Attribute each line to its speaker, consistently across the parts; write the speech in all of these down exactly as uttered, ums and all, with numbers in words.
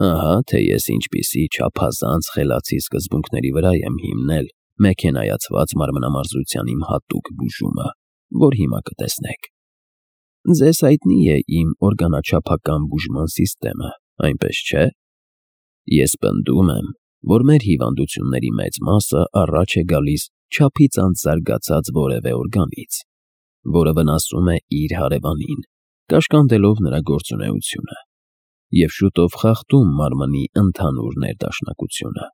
Speaker 1: Ահա թե ես ինչպիսի չափազանց խելացի սկզբունքների վրա եմ հիմնել մեքենայացված մարմնամարզության իմ հատուկ բուժումը, որ հիմա կտեսնեք։ Ձեզ հայտնի է իմ օրգանաչափական բուժման սիստեմը, այնպես չէ՞։ Ես պնդում եմ, որ մեր հիվանդությունների մեծ մասը առաջ է գալիս չափից անց զարգացած որևէ օրգանից, որը վնասում է իր հարևանին, կաշկանդելով նրա գործունեությունը և շուտով խախտում մարմնի ընդհանուր ներդաշնակությունը։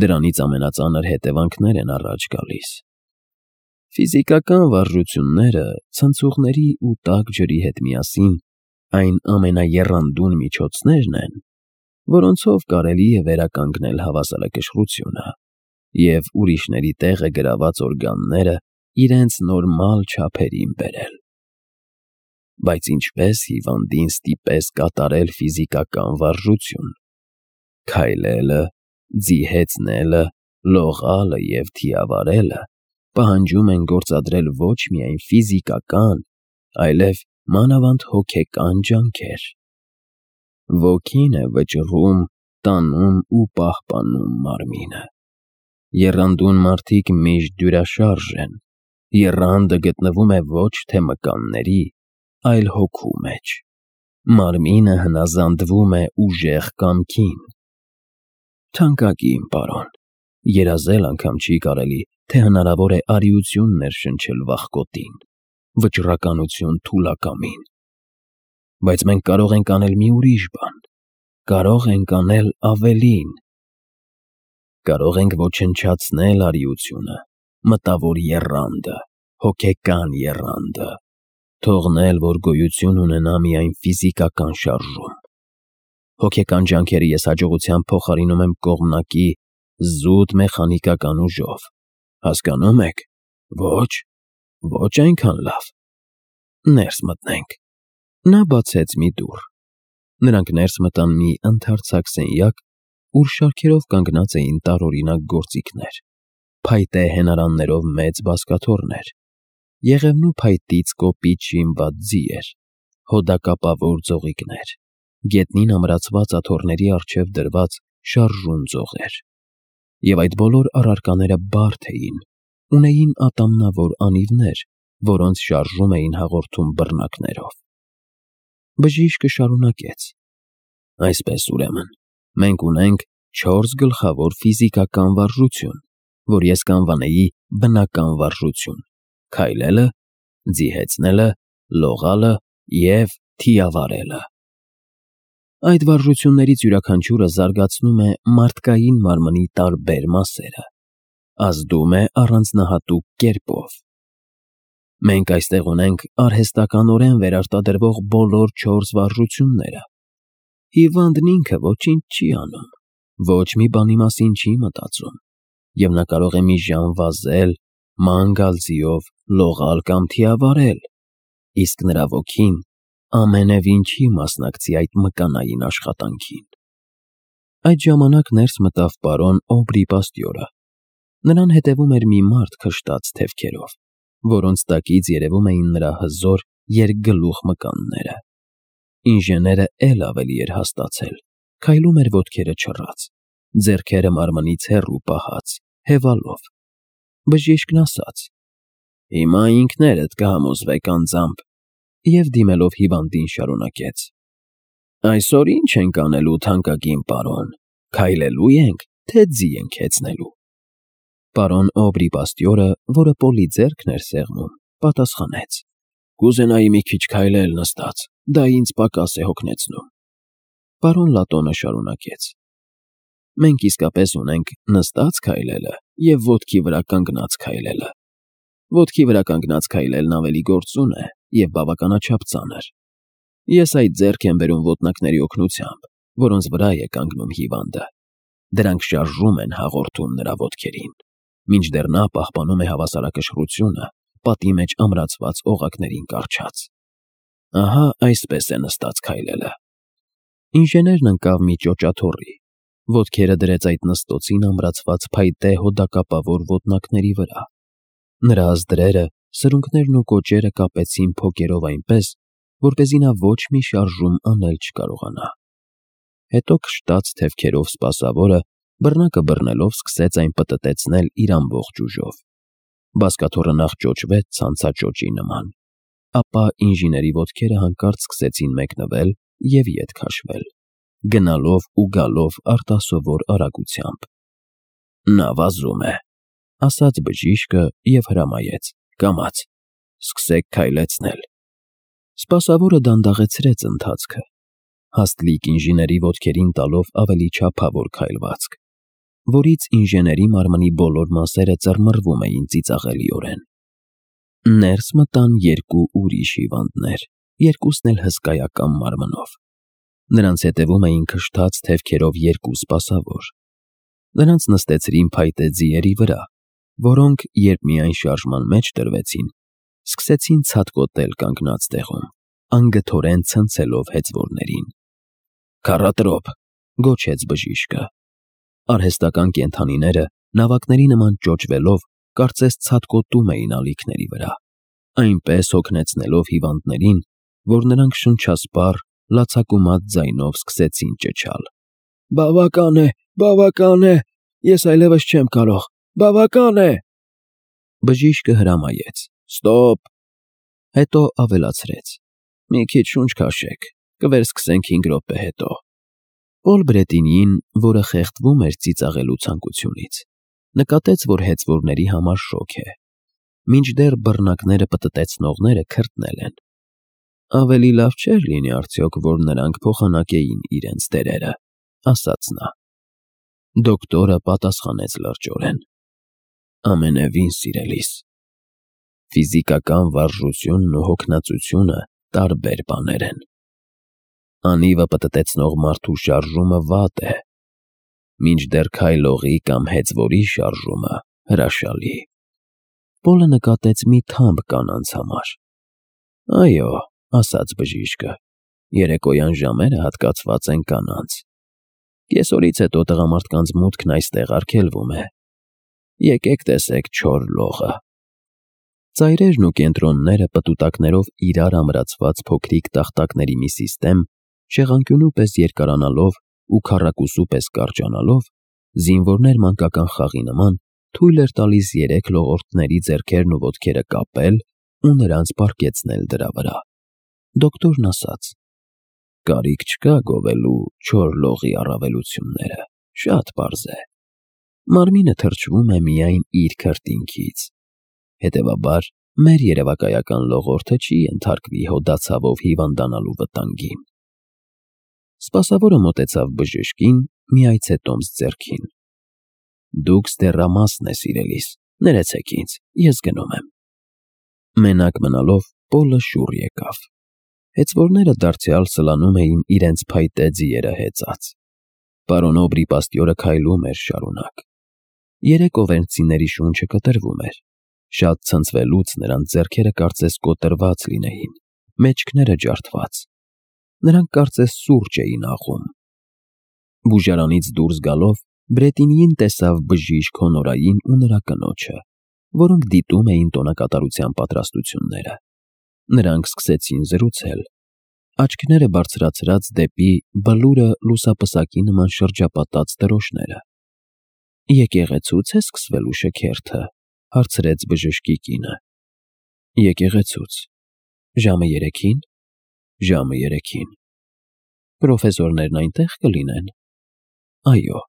Speaker 1: Դրանից ամենածանր հետևանքներ են առաջ գալիս։ Ֆիզիկական վարժությունները ցնցուղների ու տաք ջրի հետ միասին այն ամենաեռանդուն միջոցներն են, որոնցով կարելի է վերականգնել հավասարակշռությունը և ուրիշների տեղը գրաված օրգանները իրենց նորմալ չափերին բերել։ Բայց ինչպե՞ս հիվանդին ստիպես կատարել ֆիզիկական վարժություն։ Քայլելը, ձիհեցնելը, լողալը և թիավարելը պահանջում են գործադրել ոչ միայն ֆիզիկական, այլև մանավանդ հոգեկան ջանքեր։ Ոգին է վճռում, տանում ու պահպանում մարմինը։ Եռանդուն մարդիկ միշտ դյուրաշարժ են, եռանդը գտնվում է ոչ թե մկանների, այլ հոգու մեջ։ Մարմինը հնազանդվում է ուժեղ կամքին։ Թանկագին պարոն, երազել անգամ չի կարելի, թե հնարավոր է արիություն ներշնչել վախկոտին, վճռականություն թուլակամին։ Բայց մենք կարող ենք անել մի ուրիշ բան, կարող ենք անել ավելին։ Կարող ենք ոչնչացնել արիությունը, մտավոր եռանդը, հոգեկան եռանդը, թողնել, որ գոյություն ունենա միայն ֆիզիկական շարժում։ Հոգեկան ջանքերը ես հաջողությամբ փոխարինում եմ կողմնակի, զուտ մեխանիկական ուժով։ Հասկանո՞ւմ եք։ Ոչ, ոչ այնքան լավ։ Ներս մտնենք։ Նա բացեց մի դուռ։ Նրանք ներս մտան մի ընդարձակ սենյակ, ուր շարքերով կանգնած էին տարօրինակ գործիքներ, փայտե հենարաններով մեծ բազկաթոռներ, եղևնու փայտից կոպիտ շինված ձիեր, հոդակապավոր ձողիկներ, գետնին ամրացված աթոռների առջև դրված շարժուն ձողեր։ Եվ այդ բոլոր առարկաները բարդ էին, ունեին ատամնավոր անիվներ, որոնց շարժում էին հաղորդում բռնակներով։ Բժիշկը շարունակեց. Այսպես ուրեմն, մենք ունենք չորս գլխավոր ֆիզիկական վարժություն, որ ես կանվանեի բնական վարժություն՝ քայլելը, ձիհեցնելը, լողալը և թիավարելը։ Այդ վարժություններից յուրաքանչյուրը զարգացնում է մարդկային մարմնի տարբեր մասերը, ազդում է առանձնահատուկ կերպով։ Մենք այստեղ ունենք արհեստականորեն վերարտադրվող բոլոր չորս վարժությունները։ Հիվանդն ինքը ոչինչ չի անում, ոչ մի բանի մասին չի մտածում, և նա կարող է մի ժամ վազել, ման գալ ձիով, լողալ կամ թիավարել, իսկ նրա ոգին ամենևին չի մասնակցի այդ մկանային աշխատանքին։ Այդ ժամանակ ներս մտավ պարոն Օբրի Պաստյորը։ Նրան հետևում էր մի մարդ քշտած թևքերով, որոնց տակից երևում էին նրա հզոր երկգլուխ մկանները։ Ինժեները էլ ավելի էր հաստացել, քայլում էր ոտքերը չռած, ձեռքերը մարմնից հեռու պահած, հևալով։ Բժիշկն ասաց. Հիմա ինքներդ կհամոզվեք անձամբ, և դիմելով հիվանդին շարունակեց. Այսօր ի՞նչ ենք անելու, թանկագին պարոն, քայլելո՞ւ ենք, թե ձի ենք հեծնելու։ Պարոն Օբրի Պաստյորը, որը պոլի ձեռքն էր սեղմում, պատասխանեց. Կուզենայի մի քիչ քայլել նստած, դա ինձ պակաս է հոգնեցնում։ Պարոն Լատոնը շարունակեց. Մենք իսկապես ունենք նստած քայլելը և ոտքի վրա կանգնած քայլելը։ Ոտքի վրա կանգնած քայլելն ավելի գործուն է և բավականաչափ ծանր։ Ես այդ ձեռք եմ բերում ոտնակների օգնությամբ, որոնց վրա է կանգնում հիվանդը։ Դրանք շարժում են հաղորդում նրա ոտքերին, մինչդեռ նա պահպանում է հավասարակշռությունը պատի մեջ ամրացված օղակներին կառչած։ Ահա այսպես է նստած քայլելը։ Ինժեներն ընկավ մի ճոճաթոռի, ոտքերը դրեց այդ նստոցին ամրացված փայտե հոդակապավոր ոտնակների վրա։ Նրա ազդրերը, սրունքներն ու կոճերը կապեցին փոկերով այնպես, որպեսզի նա ոչ մի շարժում անել չկարողանա։ հետո քշտաց թևքերով սպասավորը բռնակը բռնելով սկսեց այն պտտեցնել իր ամբողջ ուժով։ Բազկաթոռը նախ ճոճվեց ցանցաճոճի նման, ապա ինժեների ոտքերը հանկարծ սկսեցին մեկնվել և ետ քաշվել, գնալով ու գալով արտասովոր արագությամբ։ «Նա վազում է», ասաց բժիշկը և հրամայեց. «Կամաց, սկսեք քայլեցնել»։ Սպասավորը դանդաղեցրեց ընթացքը, հաստլիկ ինժեների ոտքերին տալով ավելի չափավոր քայլվածք, որից ինժեների մարմնի բոլոր մասերը ծռմռվում էին ծիծաղելիորեն։ Ներս մտան երկու ուրիշ հիվանդներ, երկուսն էլ հսկայական մարմնով։ Նրանց հետևում էին քշթաց թևքերով երկու սպասավոր։ Նրանց նստեցրին փայտե ձիերի վրա, որոնք, երբ միայն շարժման մեջ տրվեցին, սկսեցին ցատկոտել կանգնած տեղում, անգթորեն ցնցելով հեծվորներին։ «Քառատրոփ», գոչեց բժիշկը։ Արհեստական կենդանիները, նավակների նման ճոճվելով, կարծես ցատկոտում էին ալիքների վրա, այնպես հոգնեցնելով հիվանդներին, որ նրանք շնչասպառ, լացակումած ձայնով սկսեցին ճչալ. «Բավական է, բավական է, ես այլևս չեմ կարող, բավական է»։ Բժիշկը հրամայեց. «Ստոպ»։ Հետո ավելացրեց. «Մի քիչ շունչ քաշեք, կվերսկսենք հինգ րոպե հետո»։ Պոլ Բրետինին, որը խեղդվում էր ծիծաղելու ցանկությունից, նկատեց, որ հեծվորների համար շոգ է, մինչդեռ բռնակները պտտեցնողները քրտնել են։ «Ավելի լավ չէր լինի արդյոք, որ նրանք փոխանակեին իրենց տերերը», ասաց նա։ Դոկտորը պատասխանեց լրջորեն. «Ամենևին, սիրելիս, ֆիզիկական վարժությունն ու հոգնածությունը տարբեր բաներ են։ Անիվը պտտեցնող մարդու շարժումը վատ է, մինչդեռ քայլողի կամ հեծվորի շարժումը հրաշալի»։ Պոլը նկատեց մի թամբ կանանց համար։ «Այո», ասաց բժիշկը, «երեկոյան ժամերը հատկացված են կանանց։ Կեսօրից հետո տղամարդկանց մուտքն այստեղ արգելվում է։ Եկեք տեսեք չոր լողը»։ Ծայրերն ու կենտրոնները պտուտակներով իրար ամրացված փոքրիկ տախտակների մի սիստեմ, շեղանկյունու պես երկարանալով ու քառակուսու պես կարճանալով, զինվորներ մանկական խաղի նման թույլ էր տալիս երեք լողորդների ձեռքերն ու ոտքերը կապել ու նրանց պառկեցնել դրա վրա։ Դոկտորն ասաց. «Կարիք չկա գովելու չոր լողի առավելությունները, շատ պարզ է։ Մարմինը թրջվում է միայն իր քրտինքից, հետևաբար մեր երևակայական լողորդը չի ենթարկվի հոդացավով հիվանդանալու վտանգին»։ Սպասավորը մոտեցավ բժշկին, մի այցետոմս ձեռքին. «Դուք ստեռամասն է, սիրելիս, ներեցեք ինձ, ես գնում եմ»։ Մենակ մնալով Պոլը շուռ եկավ։ Հեծվորները դարձյալ սլանում էին իրենց փայտե ձիերը հեծած։ Պարոն Օբրի պաստյորը քայլում էր շարունակ։ Երեք օվերնցիների շունչը կտրվում էր։ Շատ ցնցվելուց նրանց ձեռքերը կարծես կոտրված լինեին, մեջքները ջարդված։ Նրանք կարծես սուրճ էին աղում։ Բուժարանից դուրս գալով Բրետինին տեսավ բժիշկ Հոնորային ու նրա կնոջը, որոնք դիտում էին տոնակատարության պատրաստությունները։ Նրանք սկսեցին զրուցել, աչքները բարձրացրած դեպի բլուրը լուսապսակի նման շրջապատած դրոշները։ «Եկեղեցու՞ց է սկսվելու շքերթը», հարցրեց բժշկի կինը։ «Եկեղեցուց»։ «Ժամը երեքին»։ «Ժամը երեքին»։ «Պրոֆեսորներն այնտեղ կլինեն»։ «Այո,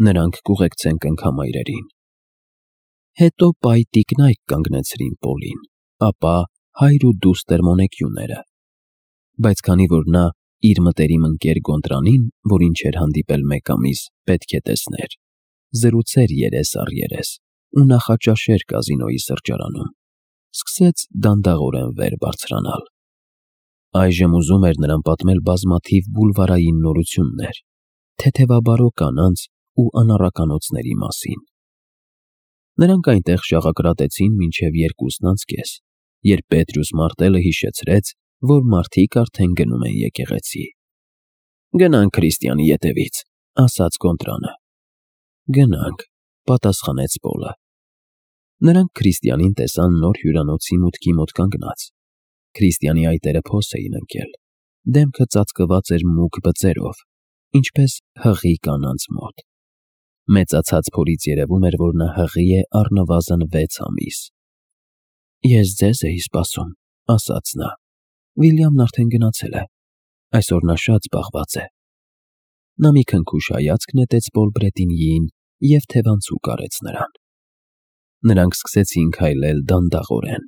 Speaker 1: նրանք կուղեկցեն կնքամայրերին»։ Հետո պայ տիկնայք կանգնեցրին Պոլին, ապա հայր ու դուստր Մոնեկյուները։ Բայց քանի որ նա իր մտերիմ ընկեր Գոնտրանին, որին չէր հանդիպել մեկ ամիս, պետք է տեսներ, զրուցեր երես առ երես ու նախաճաշեր կազինոյի սրճարանում, սկսեց դանդաղորեն վեր բարձրանալ։ Այժմ ուզում էր նրան պատմել բազմաթիվ բուլվարային նորություններ, թեթևաբարո կանանց ու անառականոցների մասին։ Նրանք այնտեղ շաղակրատեցին մինչև երկուսն անց կես, երբ Պետրյուս Մարտելը հիշեցրեց, որ մարդիկ արդեն գնում են եկեղեցի։ «Գնանք քրիստյանի ետևից», ասաց Գոնտրանը։ «Գնանք», պատասխանեց Պոլը։ Նրանք քրիստյանին տեսան նոր հյուրանոցի մուտքի մոտ կանգնած։ Քրիստյանի այտերը փոս էին ընկել, դեմքը ծածկված էր մուգ բծերով, ինչպես հղի կանանց մոտ։ Մեծացած փորից երևում էր, որ նա հղի է առնվազն վեց ամիս։ Ես ձեզ էի սպասում, ասաց նա։ Վիլյամն արդեն գնացել է։ Այսօր նա շատ զբաղված է։ Նա մի քնքուշ հայացք նետեց Պոլբրետինիին և թևանցուկ արեց նրան։ Նրանք սկսեցին քայլել դանդաղորեն,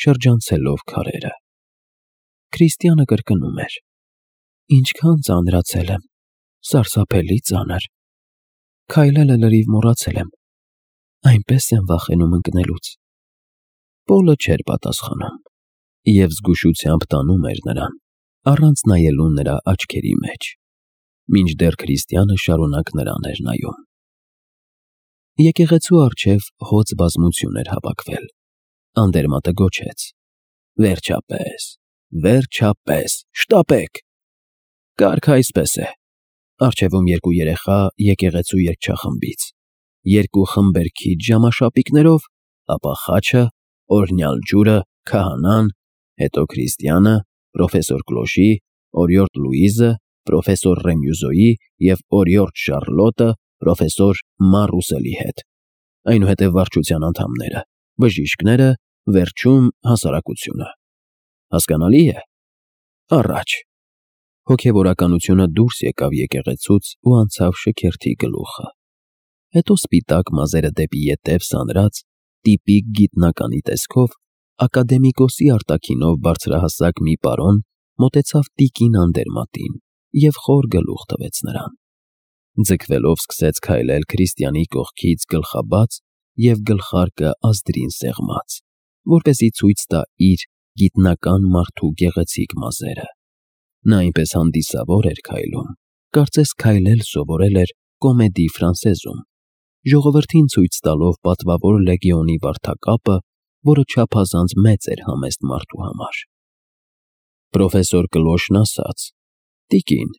Speaker 1: շրջանցելով քարերը։ Քրիստիանը կրկնում էր. Ինչքան ծանրացել եմ, սարսափելի ծանր։ Քայլելը լրիվ մոռացել եմ, այնպես եմ վախենում ընկնելուց։ Պոլը չէր պատասխանում և զգուշությամբ տանում էր նրան, առանց նայելու նրա աչքերի մեջ, մինչդեռ Քրիստիանը շարունակ նրան էր նայում։ Եկեղեցու առջև հոծ բազմություն էր հավաքվել։ Անդերմատը գոչեց. Վերջապես, վերջապես, շտապեք։ Կարգը այսպես է. առջևում երկու երեխա եկեղեցու երգչախմբից, երկու խմբեր քիչ ժամաշապիկներով, ապա խաչը, օրհնյալ ջուրը, քահանան, հետո Քրիստիանը, պրոֆեսոր Կլոշի, օրիորդ Լուիզը, պրոֆեսոր Ռեմյուզոյի և օրիորդ Շարլոտը պրոֆեսոր Մարուսելի հետ, այնուհետև վարչության անդամները, բժիշկները, վերջում հասարակությունը։ Հասկանալի է։ Առաջ։ Հոգևորականությունը դուրս եկավ եկեղեցուց ու անցավ շքերթի գլուխը։ Հետո սպիտակ մազերը դեպի ետև սանրած, տիպիկ գիտնականի տեսքով, ակադեմիկոսի արտաքինով բարձրահասակ մի պարոն մոտեցավ տիկին Անդերմատին և խոր գլուխ տվեց նրան։ Ձգվելով սկսեց քայլել Քրիստիանի կողքից գլխաբաց և գլխարկը ազդրին սեղմած, որպեսզի ցույց տա իր գիտնական մարդու գեղեցիկ մազերը։ Նա այնպես հանդիսավոր էր քայլում, կարծես քայլել սովորել էր Կոմեդի Ֆրանսեզում, ժողովրդին ցույց տալով պատվավոր լեգիոնի վարդակապը, որը չափազանց մեծ էր համեստ մարդու համար։ Պրոֆեսոր Կլոշն ասաց. Տիկին,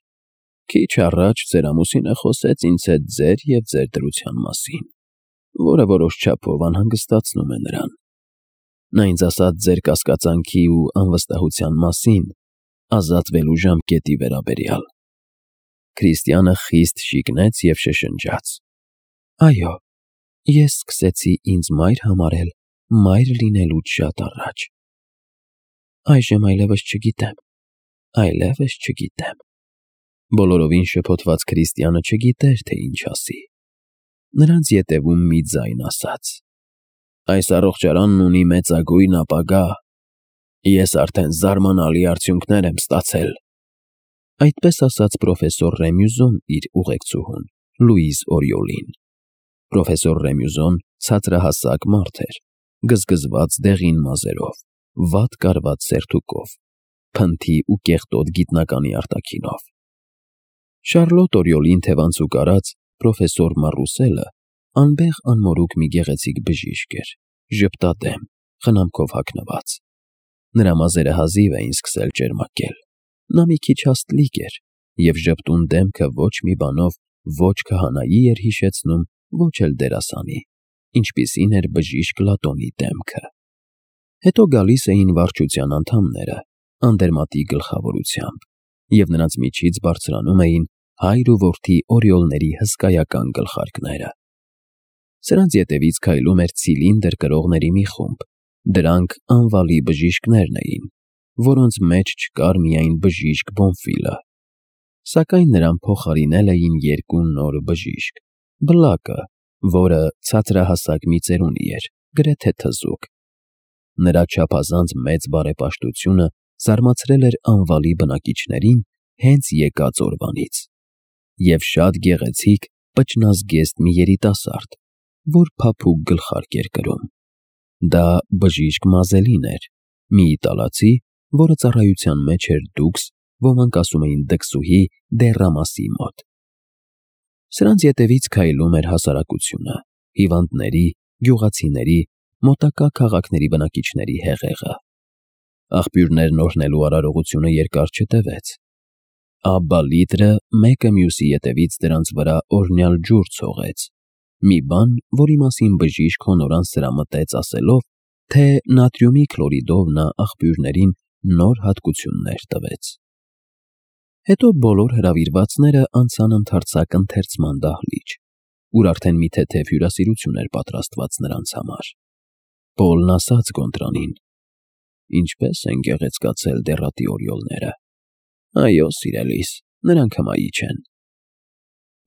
Speaker 1: քիչ առաջ ձեր ամուսինը խոսեց ինձ հետ ձեր և ձեր դրության մասին, որը որոշ չափով անհանգստացնում է նրան։ Նա ինձ ասաց ձեր կասկածանքի ու անվստահության մասին ազատվելու ժամկետի վերաբերյալ։ Քրիստիանը խիստ շիկնեց և շշնջաց. Այո, ես սկսեցի ինձ մայր համարել մայր լինելուց շատ առաջ։ Այժմ այլևս չգիտեմ, այլևս չգիտեմ։ Բոլորովին շփոթված Քրիստիանը չգիտեր, թե ինչ ասի։ Նրանց ետևում մի ձայն ասաց. Այս առողջարանն ունի մեծագույն ապագա։ Ես արդեն զարմանալի արդյունքներ եմ ստացել։ Այդպես ասաց պրոֆեսոր Ռեմյուզոն իր ուղեկցուհուն, Լուիզ Օրիոլին։ Պրոֆեսոր Ռեմյուզոն ցածրահասակ մարդ էր, գզգզված դեղին մազերով, վատ կարված սերթուկով, փնթի ու կեղտոտ գիտնականի արտաքինով։ Շարլոտ Օրիոլին թևանցուկ արած պրոֆեսոր Մարուսելը անբեղ անմորուք մի գեղեցիկ բժիշկ էր, ժպտադեմ, խնամքով հագնված։ Նրա մազերը հազիվ էին սկսել ճերմակել։ Նա մի քիչ հաստլիկ էր, և ժպտուն դեմքը ոչ մի բանով ոչ քահանայի էր հիշեցնում, ոչ էլ դերասանի, ինչպիսին էր բժիշկ Լատոնի դեմքը։ Հետո գալիս էին վարչության անդամները, Անդերմատի գլխավորությամբ, և նրանց միջից բարձրանում էին հայր ու որդի Օրիոլների հսկայական գլխարկները։ Սրանց ետևից քայլում էր ցիլինդր կրողների մի խումբ, դրանք անվալի բժիշկներն էին, որոնց մեջ չկար միայն բժիշկ Բոնֆիլը։ Սակայն նրան փոխարինել էին երկու նոր բժիշկ. Բլակը, որը ցածրահասակ մի ծերունի էր, գրեթե թզուկ։ Նրա չափազանց մեծ բարեպաշտությունը զարմացրել էր անվալի բնակիչներին հենց եկած օրվանից։ Եվ շատ գեղեցիկ, պճնազգեստ մի երիտասարդ, որ փափուկ գլխարկ էր կրում։ Դա բժիշկ Մազելին էր, մի իտալացի, որը ծառայության մեջ էր դուքս, ոմանք ասում էին դքսուհի Դեռամասի մոտ։ Սրանց ետևից քայլում էր հասարակությունը, հիվանդների, գյուղացիների, մոտակա քաղաքների բնակիչների հեղեղը։ Աղբյուրներն օրհնելու արարողությունը երկար չտևեց։ Աբբա Լիտրը մեկը մյուսի ետևից դրանց վրա օրհնյալ ջուր ցողեց, մի բան, որի մասին բժիշկ հոնորան սրամտեց ասելով, թե նատրիումի քլորիդով նա աղբյուրներին նոր հատկություններ տվեց։ Հետո բոլոր հրավիրվածները անցան ընդարձակ ընթերցման դահլիճ, ուր արդեն մի թեթև հյուրասիրություն էր պատրաստված նրանց համար։ Պոլն ասաց Գոնտրոնին. «Ինչպե՞ս են գեղեցկացել դեռատի օրիոլները»։ «Այո, սիրելիս, նրանք հմայի չեն»։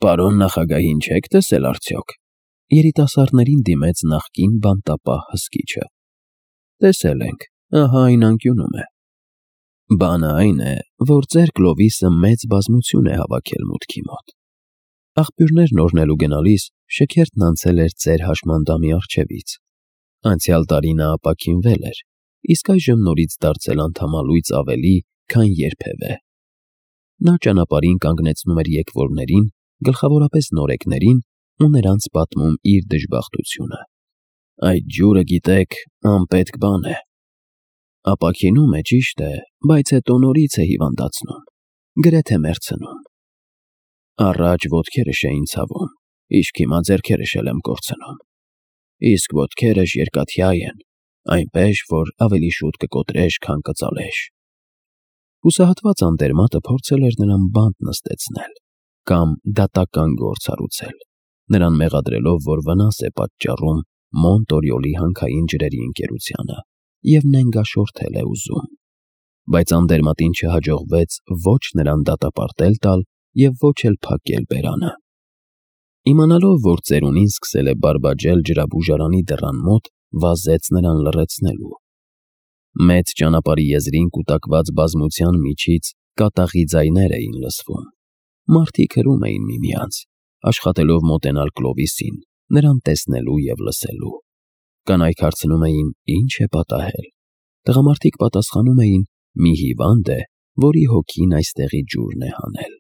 Speaker 1: «Պարոն նախագահին չեք տեսել արդյոք»։ Երիտասարդներին դիմեց նախկին բանտապահ հսկիչը։ «Տեսել ենք, ահա այն անկյունում է»։ «Բանը այն է, որ ձեր Կլովիսը մեծ բազմություն է հավաքել մուտքի մոտ։ Աղբյուրներն օրնելու գնալիս շքերթն անցել էր ձեր հաշմանդամի առջևից։ Անցյալ տարի նա ապաքինվել էր, իսկ այժմ նորից դարձել անդամալույծ ավելի, քան երբևէ։ Նա ճանապարհին կանգնեցնում էր եկվորներին, գլխավորապես նորեկներին, ու նրանց պատմում իր դժբախտությունը։ Այդ ջուրը, գիտեք, անպետք բան է։ Ապաքինում է, ճիշտ է, բայց հետո նորից է հիվանդացնում, գրեթե մեռցնում։ Առաջ ոտքերս էին ցավում, իսկ հիմա ձեռքերս էլ եմ կորցնում։ Իսկ ոտքերս երկաթյա են, այնպես, որ ավելի շուտ կկոտրեշ, քան կծալեշ»։ Հուսահատված անտերմատը փորձել էր նրան բանտ նստեցնել կամ դատական գործ հարուցել, նրան մեղադրելով, որ վնաս է պատճառում Մոնտորիոլի հանքային ջրերի ընկերությանը և նենգաշորթել է ուզում։ Բայց անտերմատին չհաջողվեց ոչ նրան դատապարտել տալ և ոչ էլ փակել բերանը։ Իմանալով, որ ծերունին սկսել է բարբաջել ջրաբուժարանի դռան մոտ, վազեց նրան լռեցնելու։ Մեծ ճանապարհի եզրին կուտակված բազմության միջից կատաղի ձայներ էին լսվում։ Մարդիկ հրում էին միմյանց, աշխատելով մոտենալ Կլովիսին, նրան տեսնելու և լսելու։ Կանայք հարցնում էին, ինչ է պատահել։ Տղամարդիկ պատասխանում էին, մի հիվանդ է, որի հոգին այստեղի ջուրն է հանել։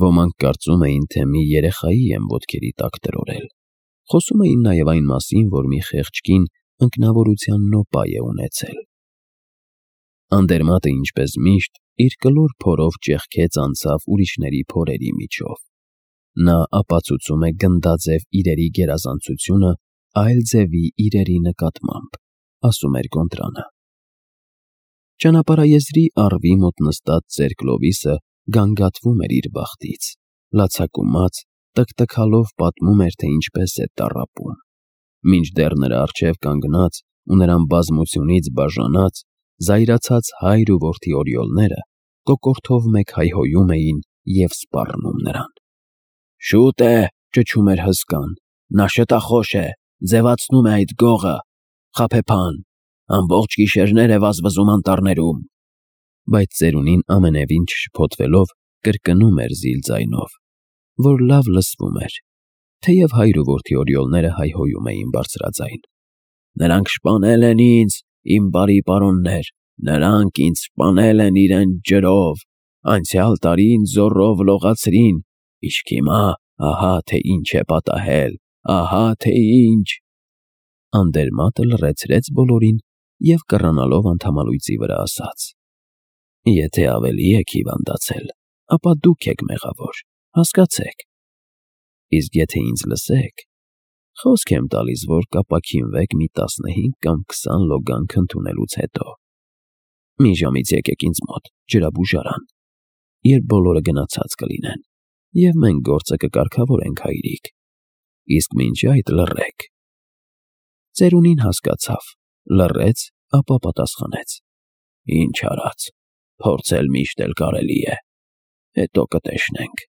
Speaker 1: Ոմանք կարծում էին, թե մի երեխայի են ոտքերի տակ տրորել։ Խոսում էին նաև այն մասին, որ մի խեղճ կին ընկնավորության նոպա է ունեցել։ Անտերմատը, ինչպես միշտ, իր կլոր փորով ճեղքեց անցավ ուրիշների փորերի միջով։ Նա ապացուցում է գնդաձև իրերի գերազանցությունը այլ ձևի իրերի նկատմամբ, ասում էր Գոնտրանը։ Ճանապարհաեզրի առվի մոտ նստած ծեր Կլովիսը գանգատվում էր իր բախտից, լացակումած, տկտկալով պատմում էր, թե ինչպես է տառապում։ Մինչդեռ նրա առջև կանգնած ու նրան բազմությունից բաժանած, զայրացած հայր ու որդի օրիոլները կոկորդով մեկ հայհոյում էին և սպառնում նրան։ «Շուտ է», ճչում էր հսկան, «նա շտախոս է, ձևացնում է այդ գողը, խաբեբան, ամբողջ գիշերներ է վազվզում անտառներում»։ Բայց ծերունին ամենևին չշփոթվելով կրկնում էր զիլ ձայնով, որ լավ լսվում էր, թեև հայր ու որդի օրիոլները հայհոյում էին բարձրաձայն. «Նրանք շպանել են ինձ, իմ բարի պարոններ, նրանք ինձ սպանել են իրենց ջրով, անցյալ տարի ինձ զոռով լողացրին, իսկ հիմա ահա թե ինչ է պատահել, ահա թե ինչ»։ Անտերմատը լռեցրեց բոլորին և կռանալով անդամալույծի վրա ասաց. «Եթե ավելի եք հիվանդացել, ապա դուք եք մեղավոր, հասկացեք։ Իսկ եթե ինձ լսեք, խոսք եմ տալիս, որ կապաքինվեք մի տասնհինգ կամ քսան լոգանք ընդունելուց հետո։ Մի ժամից եկեք ինձ մոտ, ջրաբուժարան, երբ բոլորը գնացած կլինեն, և մենք գործը կկարգավորենք, հայրիկ, իսկ մինչ այդ լռեք»։ Ծերունին հասկացավ, լռեց, ապա պատասխանեց. «Ինչ արած, փորձել միշտ էլ կարելի է, հետո կտեսնենք»։